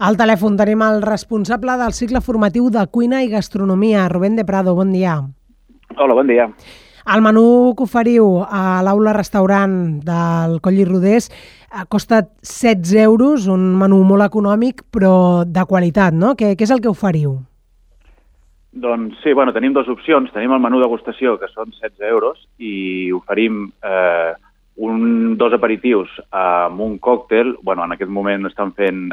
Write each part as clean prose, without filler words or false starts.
Al telèfon tenim el responsable del cicle formatiu de cuina i gastronomia, Rubén de Prado. Bon dia. Hola, bon dia. El menú que oferiu a l'aula restaurant del Coll i Rodés costa 16 euros, un menú molt econòmic però de qualitat, no? Què és el que oferiu? Doncs sí, tenim dues opcions. Tenim el menú degustació, que són 16 euros, i oferim dos aperitius amb un còctel. En aquest moment estan fent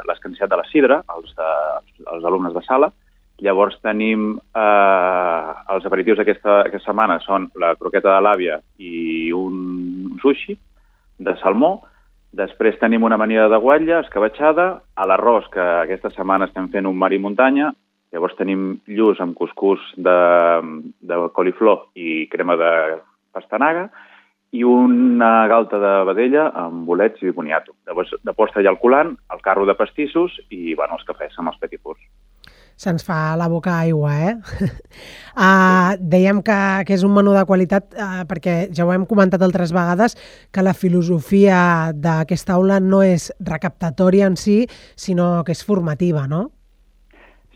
l'escanciat de la sidra, els alumnes de sala. Llavors tenim els aperitius d'aquesta setmana són la croqueta de l'àvia i un sushi de salmó. Després tenim una amanida de guatlla, escabatxada, a l'arròs, que aquesta setmana estem fent un mar i muntanya. Llavors tenim lluç amb cuscús de coliflor i crema de pastanaga i una galta de vedella amb bolets i boniato. Llavors, de postre hi ha el coulant, el carro de pastissos i els cafès amb els petit fours. Se'ns fa la boca aigua, Dèiem que és un menú de qualitat perquè ja ho hem comentat altres vegades que la filosofia d'aquesta aula no és recaptatòria en si, sinó que és formativa, no?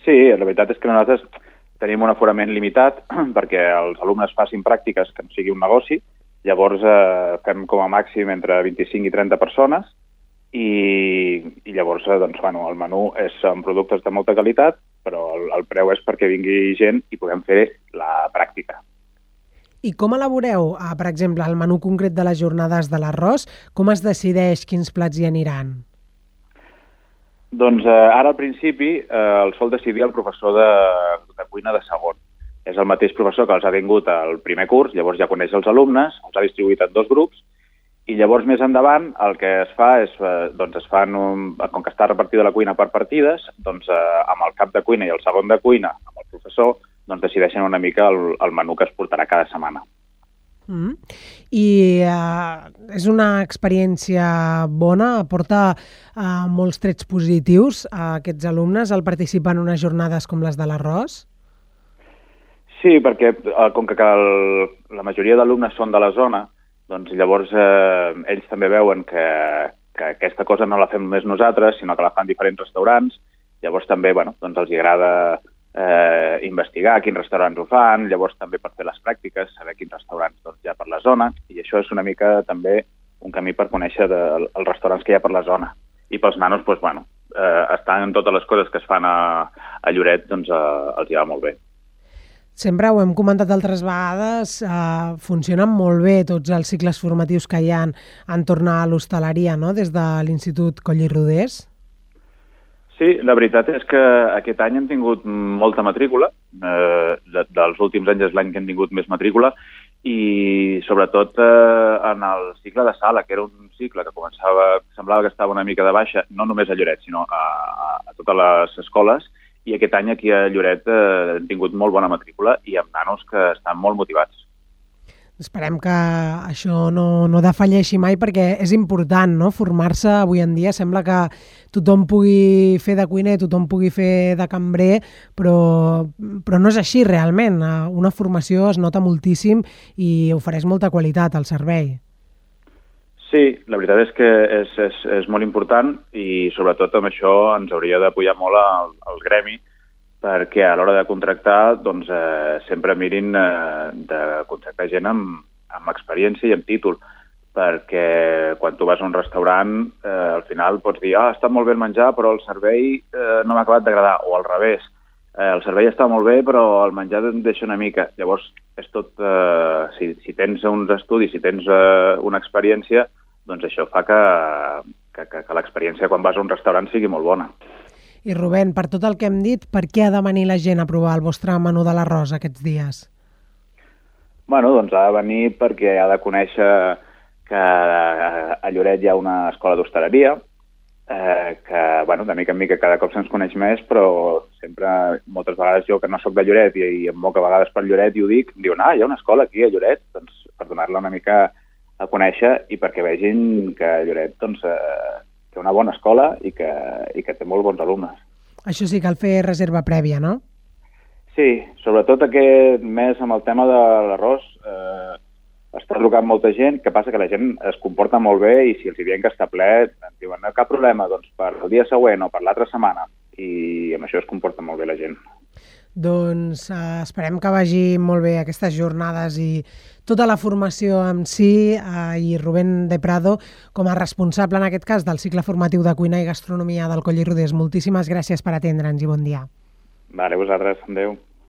Sí, la veritat és que nosaltres tenim un aforament limitat perquè els alumnes facin pràctiques que no sigui un negoci. Llavors fem com a màxim entre 25 i 30 persones i llavors el menú és amb productes de molta qualitat, però el preu és perquè vingui gent i puguem fer la pràctica. I com elaboreu, per exemple, el menú concret de les jornades de l'arròs? Com es decideix quins plats hi aniran? Doncs ara al principi el sol decidir el professor de cuina de segon. És el mateix professor que els ha vingut al primer curs, llavors ja coneix els alumnes, els ha distribuït en dos grups, i llavors més endavant el que es fa és, com que està repartida la cuina per partides, amb el cap de cuina i el segon de cuina, amb el professor, decideixen una mica el menú que es portarà cada setmana. I és una experiència bona? Aporta molts trets positius a aquests alumnes al participar en unes jornades com les de l'arròs? Sí, perquè com que la majoria d'alumnes són de la zona, doncs llavors ells també veuen que aquesta cosa no la fem només nosaltres, sinó que la fan diferents restaurants. Llavors també els agrada investigar quins restaurants ho fan, llavors també per fer les pràctiques, saber quins restaurants hi ha per la zona, i això és una mica també un camí per conèixer els restaurants que hi ha per la zona. I pels nanos, estan totes les coses que es fan a Lloret, els hi va molt bé. Sempre ho hem comentat altres vegades, funcionen molt bé tots els cicles formatius que hi ha entorn a l'hostaleria, no?, des de l'Institut Coll i Rodés. Sí, la veritat és que aquest any hem tingut molta matrícula, dels últims anys és l'any que hem tingut més matrícula, i sobretot en el cicle de sala, que era un cicle que semblava que estava una mica de baixa, no només a Lloret, sinó a totes les escoles, i aquest any aquí a Lloret hem tingut molt bona matrícula i amb nanos que estan molt motivats. Esperem que això no defalleixi mai perquè és important, no?, formar-se avui en dia. Sembla que tothom pugui fer de cuiner, tothom pugui fer de cambrer, però no és així realment. Una formació es nota moltíssim i ofereix molta qualitat al servei. Sí, la veritat és que és molt important i sobretot amb això ens hauria d'apoyar molt el gremi perquè a l'hora de contractar sempre mirin de contractar gent amb experiència i amb títol, perquè quan tu vas a un restaurant al final pots dir està molt bé el menjar però el servei no m'ha acabat d'agradar, o al revés, el servei està molt bé però el menjar et deixa una mica. Llavors és tot, si tens uns estudis, si tens una experiència, doncs això fa que l'experiència quan vas a un restaurant sigui molt bona. I Rubén, per tot el que hem dit, per què ha de venir la gent a provar el vostre menú de l'arròs aquests dies? Ha de venir perquè ha de conèixer que a Lloret hi ha una escola d'hostaleria, que de mica en mica cada cop se'ns coneix més, però sempre, moltes vegades jo que no soc de Lloret i em moc a vegades per Lloret i ho dic, diuen, hi ha una escola aquí a Lloret, doncs per donar-la una mica a conèixer i perquè vegin que Lloret té una bona escola i que té molt bons alumnes. Això sí, cal fer reserva prèvia, no? Sí, sobretot aquest mes amb el tema de l'arròs està trucant molta gent, que passa que la gent es comporta molt bé i si els diem que està ple, ens diuen no, cap problema, doncs per el dia següent o per l'altra setmana. I amb això es comporta molt bé la gent. Doncs esperem que vagi molt bé aquestes jornades i tota la formació en si, i Rubén de Prado, com a responsable en aquest cas del cicle formatiu de cuina i gastronomia del Coll i Rodés. Moltíssimes gràcies per atendre'ns i bon dia. Vale, vosaltres, adéu.